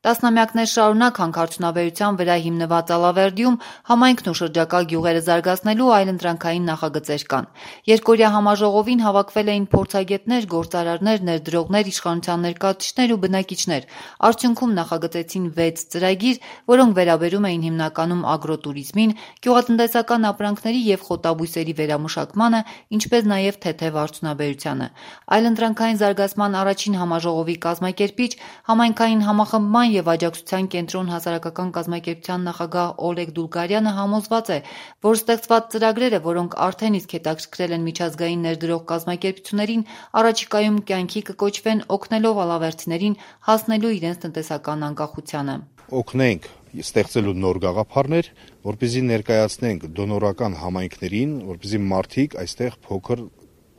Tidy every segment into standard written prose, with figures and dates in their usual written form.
Տասնամյակներ շարունակ հանքարդյունաբերության վրա հիմնված Ալավերդիում համայնքն ու շրջակա գյուղերը զարգացնելու այլընտրանքային նախագծեր կան։ Երկօրյա համաժողովին հավաքվել էին փորձագետներ, գործարարներ, ներդրողներ, իշխանության ներկայացուցիչներ ու բնակիչներ։ Արդյունքում նախագծեցին 6 ծրագիր, որոնք վերաբերում էին հիմնականում ագրոտուրիզմին, գյուղատնտեսական ապրանքների և խոտաբույսերի վերամշակմանը, ինչպես նաև թեթև արդյունաբերությանը։ Այլընտրանքային զարգացման առաջին համաժողովի կազմակերպիչ, համայնքային համախմբման և աջակցության կենտրոն հասարակական կազմակերպության նախագահ Օլեգ Դուլգարյանը համոզված է, որ ստեղծված ծրագրերը, որոնք արդեն իսկ հետաքրքրել են միջազգային ներդրող կազմակերպություններին, առաջիկայում կյանքի կկոչվեն օգնելով ալավերդիներին հասնելու իրենց տնտեսական անկախությանը։ Օգնենք ստեղծելու նոր գաղափարներ, որպեսզի ներկայացնենք դոնորական համայնքներին, որպեսզի մարդիկ այստեղ փոքր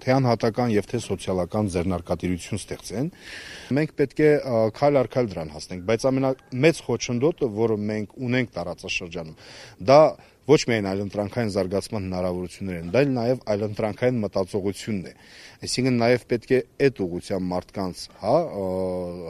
թե անհատական եւ թե սոցիալական ձեռնարկատիրություն ստեղծեն։ Մենք պետք է քայլ առ քայլ դրան հասնենք, բայց ամենամեծ խոչընդոտը, որը մենք ունենք տարածաշրջանում, դա ոչ միայն այլընտրանքային զարգացման հնարավորություններ են, դա նաև այլընտրանքային մտածողությունն է։ Այսինքն նաև պետք է այդ ուղղությամբ մարդկանց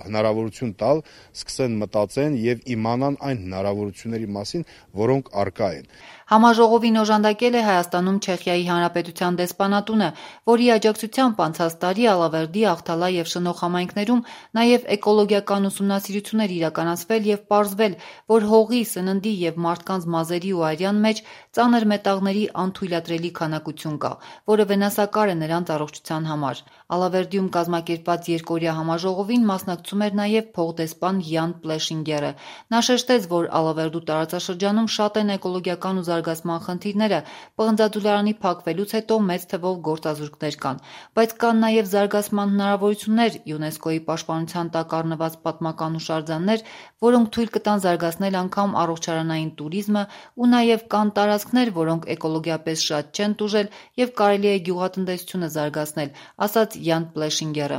հնարավորություն տալ, սկսեն մտածեն եւ իմանան այն հնարավորությունների մասին, որոնք առկա են։ Համաժողովին օժանդակել է Հայաստանում Չեխիայի Հանրապետության դեսպանատունը, որի աջակցությամբ անցած տարի Ալավերդի, Ախթալա և Շնող համայնքներում նաև էկոլոգիական ուսումնասիրություններ իրականացվել և պարզվել, որ հողի, սննդի և մարդկանց մազերի ու արյան մեջ ծանր մետաղների անթույլատրելի քանակություն կա, որը վնասակար է նրանց առողջության համար։ Ալավերդիում կազմակերպված երկօրյա համաժողովին մասնակցում էր նաև փոխդեսպան Յան Պլեշինգերը։ Նա շեշտեց, որ Ալավերդու տարածաշրջանում շատ են էկոլոգիական ու զարգացման խնդիրները, պղնձաձուլարանի փակվելուց հետո մեծ թվով գործազուրկներ կան, բայց կան նաև զարգացման հնարավորություններ, ՅՈՒՆԵՍԿՕ-ի պաշտպանության տակ առնված պատմական հուշարձաններ, որոնք թույլ կտան զարգացնել անգամ առողջարանային տուրիզմը, ու նաև կան տարածքներ, որոնք էկոլոգիապես շատ չեն տուժել և կարելի է գյուղատնտեսությունը զարգացնել, ասաց Յան Պլեշինգերը։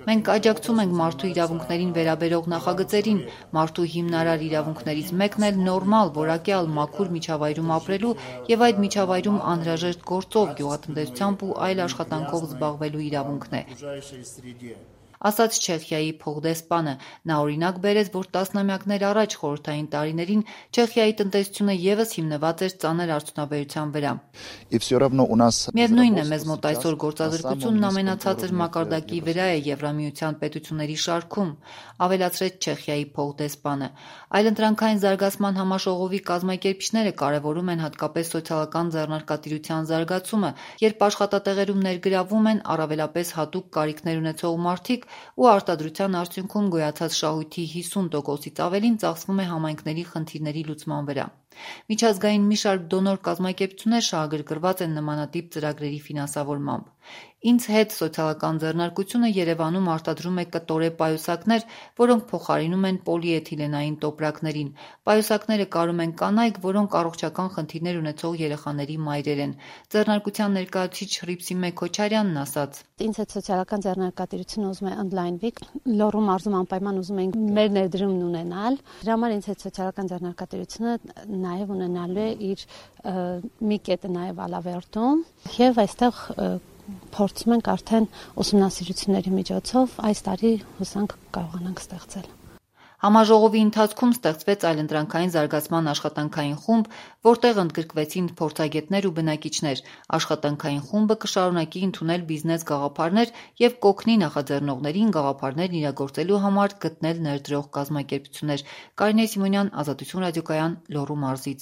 Մենք աջակցում ենք մարդու իրավունքներին վերաբերող նախագծերին։ Մարդու հիմնարար իրավունքներից մեկն էլ նորմալ, որակյալ, մաքուր միջավայրում ապրելու և այդ միջավայրում անհրաժեշտ գործով, գյուղատնտեսությամբ ու այլ աշխատանքով զբաղվելու իրավունքն է, ասաց Չեխիայի փոխդեսպանը։ Նա օրինակ բերեց, որ տասնամյակներ առաջ խորհրդային տարիներին Չեխիայի տնտեսությունը ևս հիմնված էր ծանր արդյունաբերության վրա։ Միևնույն է, մեզ մոտ այսօր գործազրկությունն ամենացածր մակարդակի վրա է Եվրամիության պետությունների շարքում, ավելացրեց Չեխիայի փոխդեսպանը։ Այլընտրանքային զարգացման համաժողովի կազմակերպիչները կարևորում են հատկապես սոցիալական ձեռնարկատիրության զարգացումը, երբ աշխատատեղերում ներգրավում են առավելապես հատուկ կարիքներ ունեցող մարդիկ ու արտադրության արդյունքում գոյացած շահույթի 50%-ից ավելին ծախսվում է համայնքների խնդիրների լուծման վրա։ Միջազգային մի շարք դոնոր կազմակերպություններ շահագրգռված են նմանատիպ ծրագրերի ֆինանսավորմամբ։ Ինձ հետ սոցիալական ձեռնարկությունը Երևանում արտադրում է կտորե պայուսակներ, որոնք փոխարինում են պոլիէթիլենային տոպրակներին։ Պայուսակները կարում են կանայք, որոնք առողջական խնդիրներ ունեցող երեխաների մայրեր են։ Ձեռնարկության ներկայացուցիչ Հռիփսիմե Քոչարյանն ասաց. Ինձ հետ սոցիալական ձեռնարկատիրությունը ուզում է ընդլայնվի, Լոռու մարզում անպայման ուզում ենք մեր ներդրումն ունենալ։ Դրա համար ինձ հետ սոցիալական ձեռնարկատիրությունը նաև ունենալու է իր մի կետը նաև Ալավերդում եւ այստեղ փորձում ենք արդեն ուսումնասիրությունների միջոցով այս տարի հուսանք կարողանանք ստեղծել։ Համաժողովի ընթացքում ստեղծվեց այլընտրանքային զարգացման աշխատանքային խումբ, որտեղ ընդգրկվեցին փորձագետներ ու բնակիչներ։ Աշխատանքային խումբը կշարունակի ընդունել բիզնես գաղափարներ և կօգնի նախաձեռնողներին գաղափարներն իրագործելու համար գտնել ներդրող կազմակերպություններ։ Կարինե Սիմոնյան, Ազատություն ռադիոկայան, Լոռու մարզից։